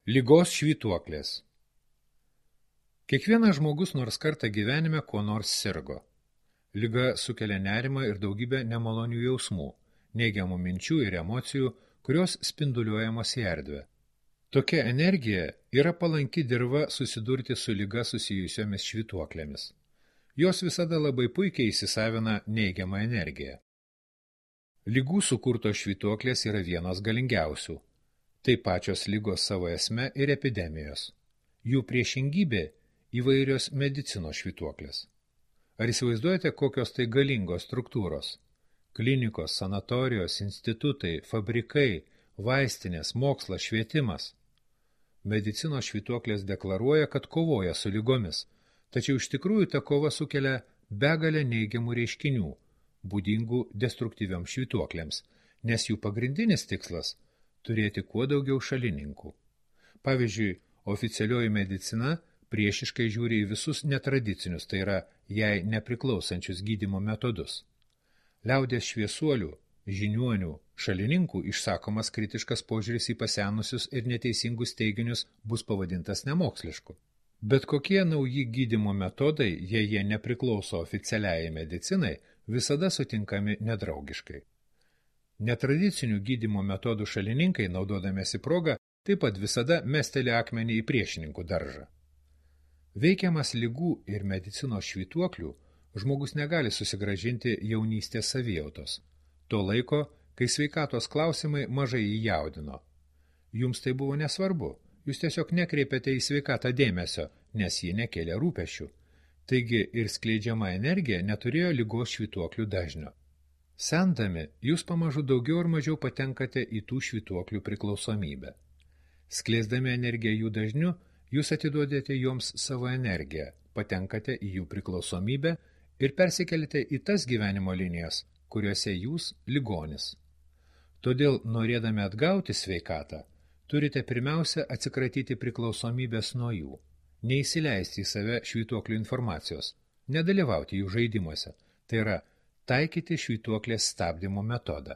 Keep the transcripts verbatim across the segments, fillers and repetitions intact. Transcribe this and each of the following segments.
Ligos švytuoklės. Kiekvienas žmogus nors kartą gyvenime kuo nors sirgo. Liga sukelia nerimą ir daugybę nemalonių jausmų, neigiamų minčių ir emocijų, kurios spinduliuojamos į erdvę. Tokia energija yra palanki dirva susidurti su liga susijusiomis švytuoklėmis. Jos visada labai puikiai įsisavina neigiamą energiją. Ligų sukurtos švytuoklės yra vienos galingiausių. Tai pačios ligos savo esme ir epidemijos. Jų priešingybė įvairios medicinos švytuoklės. Ar įsivaizduojate, kokios tai galingos struktūros? Klinikos, sanatorijos, institutai, fabrikai, vaistinės, mokslas, švietimas. Medicinos švytuoklės deklaruoja, kad kovoja su ligomis, tačiau iš tikrųjų ta kova sukelia begalę neigiamų reiškinių, būdingų destruktyvioms švytuoklėms, nes jų pagrindinis tikslas – turėti kuo daugiau šalininkų. Pavyzdžiui, oficialioji medicina priešiškai žiūri į visus netradicinius, tai yra jai nepriklausančius gydymo metodus. Liaudies šviesuolių, žiniuonių, šalininkų išsakomas kritiškas požiūris į pasenusius ir neteisingus teiginius bus pavadintas nemokslišku. Bet kokie nauji gydymo metodai, jei jie nepriklauso oficialiai medicinai, visada sutinkami nedraugiškai. Netradicinių gydymo metodų šalininkai, naudodamiesi progą, taip pat visada mesteli akmenį į priešininkų daržą. Veikiamas ligų ir medicinos švytuoklių, žmogus negali susigrąžinti jaunystės savijautos, to laiko, kai sveikatos klausimai mažai jį jaudino. Jums tai buvo nesvarbu, jūs tiesiog nekreipėte į sveikatą dėmesio, nes ji nekėlė rūpesčių. Taigi ir skleidžiama energija neturėjo ligos švytuoklių dažnio. Sendami, jūs pamažu daugiau ar mažiau patenkate į tų švytuoklių priklausomybę. Skleisdami energiją jų dažniu, jūs atiduodate joms savo energiją, patenkate į jų priklausomybę ir persikelite į tas gyvenimo linijas, kuriuose jūs ligonis. Todėl, norėdami atgauti sveikatą, turite pirmiausia atsikratyti priklausomybės nuo jų, neįsileisti į save švytuoklių informacijos, nedalyvauti jų žaidimuose, tai yra taikyti švytuoklės stabdymo metodą.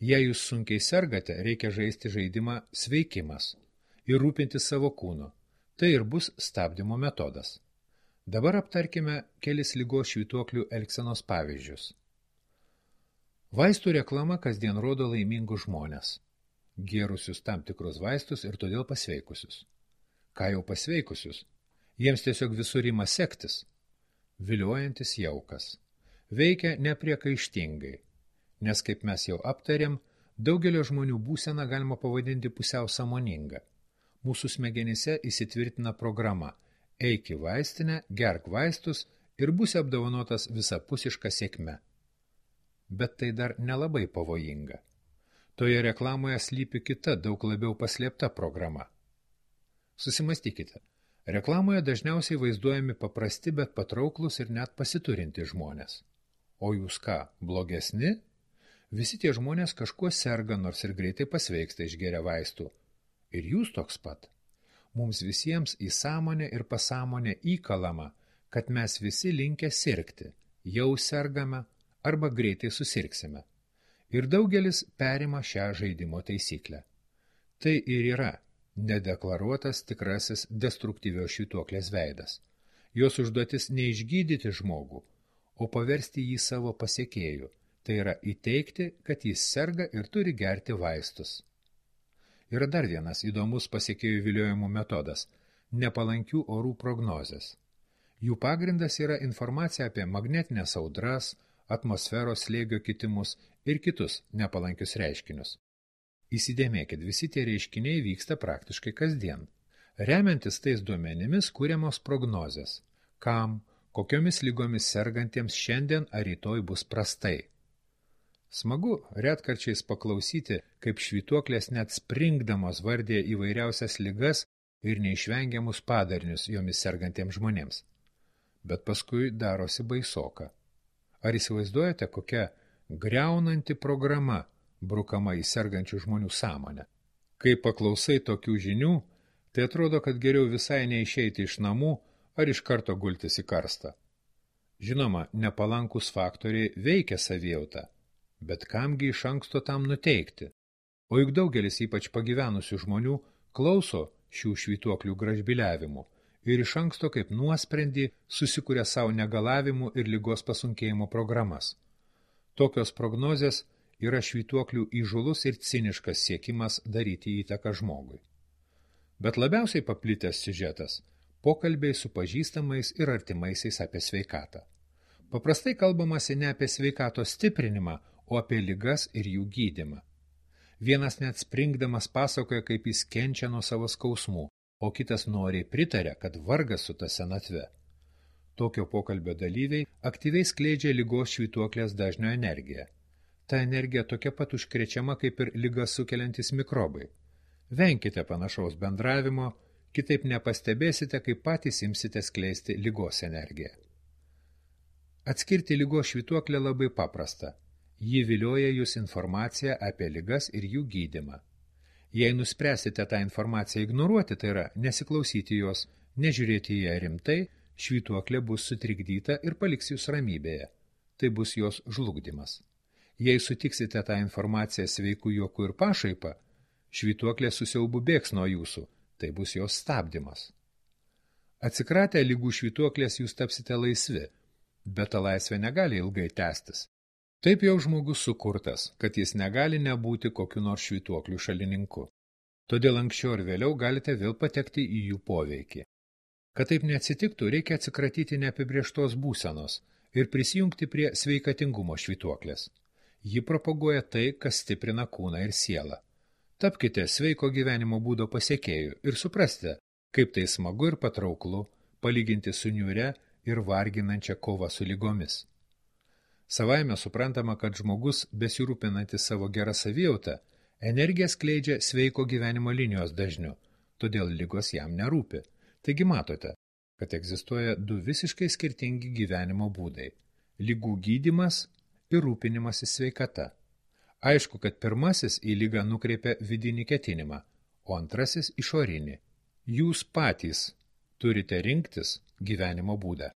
Jei jūs sunkiai sergate, reikia žaisti žaidimą sveikimas ir rūpintis savo kūnu. Tai ir bus stabdymo metodas. Dabar aptarkime kelis ligos švytuoklių elgsenos pavyzdžius. Vaistų reklama kasdien rodo laimingus žmones, gėrusius tam tikrus vaistus ir todėl pasveikusius. Ką jau pasveikusius? Jiems tiesiog visur ima sektis. Viliojantis jaukas. Veikia nepriekaištingai, nes, kaip mes jau aptarėm, daugelio žmonių būseną galima pavadinti pusiau sąmoningą. Mūsų smegenyse įsitvirtina programa – eik į vaistinę, gerk vaistus ir būsi apdovanotas visapusiška sėkme. Bet tai dar nelabai pavojinga. Toje reklamoje slypi kita, daug labiau paslėpta programa. Susimastykite, reklamoje dažniausiai vaizduojami paprasti, bet patrauklus ir net pasiturinti žmonės. O jūs ką, blogesni? Visi tie žmonės kažkuo serga, nors ir greitai pasveiksta išgeria vaistų. Ir jūs toks pat. Mums visiems į sąmonę ir pasąmonę įkalama, kad mes visi linkę sirgti, jau sergame arba greitai susirgsime. Ir daugelis perima šią žaidimo taisyklę. Tai ir yra nedeklaruotas tikrasis destruktyvios švytuoklės veidas. Jos užduotis neišgydyti žmogų, o paversti jį savo pasekėjų, tai yra įteikti, kad jis serga ir turi gerti vaistus. Yra dar vienas įdomus pasekėjų viliojimų metodas – nepalankių orų prognozės. Jų pagrindas yra informacija apie magnetinės audras, atmosferos slėgio kitimus ir kitus nepalankius reiškinius. Įsidėmėkit, visi tie reiškiniai vyksta praktiškai kasdien. Remiantis tais duomenimis kuriamos prognozės, kam, kokiomis lygomis sergantiems šiandien ar rytoj bus prastai. Smagu retkarčiais paklausyti, kaip švytuoklės net springdamos vardė įvairiausias ligas ir neišvengiamus padarinius jomis sergantiems žmonėms. Bet paskui darosi baisoka. Ar įsivaizduojate, kokia griaunanti programa brukama į sergančių žmonių sąmonę? Kai paklausai tokių žinių, tai atrodo, kad geriau visai neišeiti iš namų ar iš karto gultis į karstą. Žinoma, nepalankus faktoriai veikia savijautą, bet kamgi iš anksto tam nuteikti? O juk daugelis ypač pagyvenusių žmonių klauso šių švytuoklių gražbiliavimų ir iš anksto kaip nuosprendį susikuria savo negalavimų ir ligos pasunkėjimo programas. Tokios prognozės yra švytuoklių įžūlus ir ciniškas siekimas daryti įtaką žmogui. Bet labiausiai paplitęs siužetas – pokalbiai su pažįstamais ir artimaisiais apie sveikatą. Paprastai kalbamasi ne apie sveikatos stiprinimą, o apie ligas ir jų gydymą. Vienas net springdamas pasakoja, kaip jis kenčia nuo savo skausmų, o kitas noriai pritaria, kad vargas su ta senatve. Tokio pokalbio dalyviai aktyviai skleidžia ligos švytuoklės dažnio energiją. Ta energija tokia pat užkrečiama kaip ir ligas sukeliantis mikrobai. Venkite panašaus bendravimo, kitaip nepastebėsite, kaip patys imsite skleisti ligos energiją. Atskirti ligos švytuoklę labai paprasta. Ji vilioja jūs informaciją apie ligas ir jų gydymą. Jei nuspręsite tą informaciją ignoruoti, tai yra nesiklausyti jos, nežiūrėti į ją rimtai, švytuoklė bus sutrikdyta ir paliks jūs ramybėje. Tai bus jos žlugdymas. Jei sutiksite tą informaciją sveikų juokų ir pašaipą, švytuoklė susiaubu bėgs nuo jūsų, tai bus jos stabdymas. Atsikratę ligų švytuoklės jūs tapsite laisvi, bet ta laisvė negali ilgai tęstis. Taip jau žmogus sukurtas, kad jis negali nebūti kokiu nors švytuoklių šalininku. Todėl anksčiau ir vėliau galite vėl patekti į jų poveikį. Kad taip neatsitiktų, reikia atsikratyti neapibrieštos būsenos ir prisijungti prie sveikatingumo švytuoklės. Ji propaguoja tai, kas stiprina kūną ir sielą. Tapkite sveiko gyvenimo būdo pasiekėjų ir suprasite, kaip tai smagu ir patrauklu palyginti su niūria ir varginančia kova su ligomis. Savaime suprantama, kad žmogus, besirūpinantis savo gerą savijautą, energiją skleidžia sveiko gyvenimo linijos dažniu, todėl ligos jam nerūpi. Taigi matote, kad egzistuoja du visiškai skirtingi gyvenimo būdai – ligų gydymas ir rūpinimasis sveikata. Aišku, kad pirmasis į ligą nukreipia vidinį ketinimą, o antrasis išorinį. Jūs patys turite rinktis gyvenimo būdą.